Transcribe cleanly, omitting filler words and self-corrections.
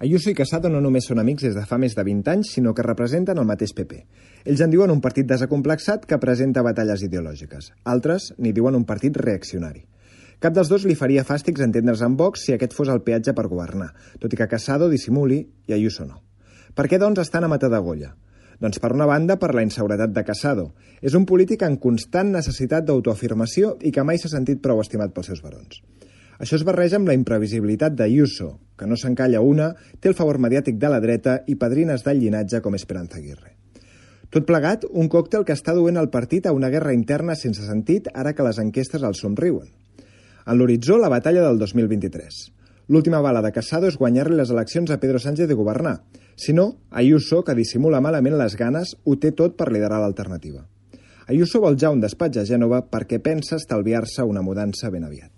Ayuso i Casado no només són amics des de fa més de 20 anys, sinó que representen el mateix PP. Ells en diuen un partit desacomplexat que presenta batalles ideològiques. Altres n'hi diuen un partit reaccionari. Cap dels dos li faria fàstics entendre's amb Vox si aquest fos el peatge per governar, tot i que Casado dissimuli i Ayuso no. Per què, doncs, estan a mata d'agolla? Doncs, per una banda, per la inseguretat de Casado. És un polític en constant necessitat d'autoafirmació i que mai s'ha sentit prou estimat pels seus barons. Això es barreja amb la imprevisibilitat d'Ayuso, que no s'encalla una, té el favor mediàtic de la dreta i padrines del llinatge com Esperanza Aguirre. Tot plegat, un còctel que està duent el partit a una guerra interna sense sentit ara que les enquestes el somriuen. En l'horitzó, la batalla del 2023. L'última bala de Casado és guanyar-li les eleccions a Pedro Sánchez de governar. Si no, Ayuso, que dissimula malament les ganes, ho té tot per liderar l'alternativa. Ayuso vol ja un despatx a Gènova perquè pensa estalviar-se una mudança ben aviat.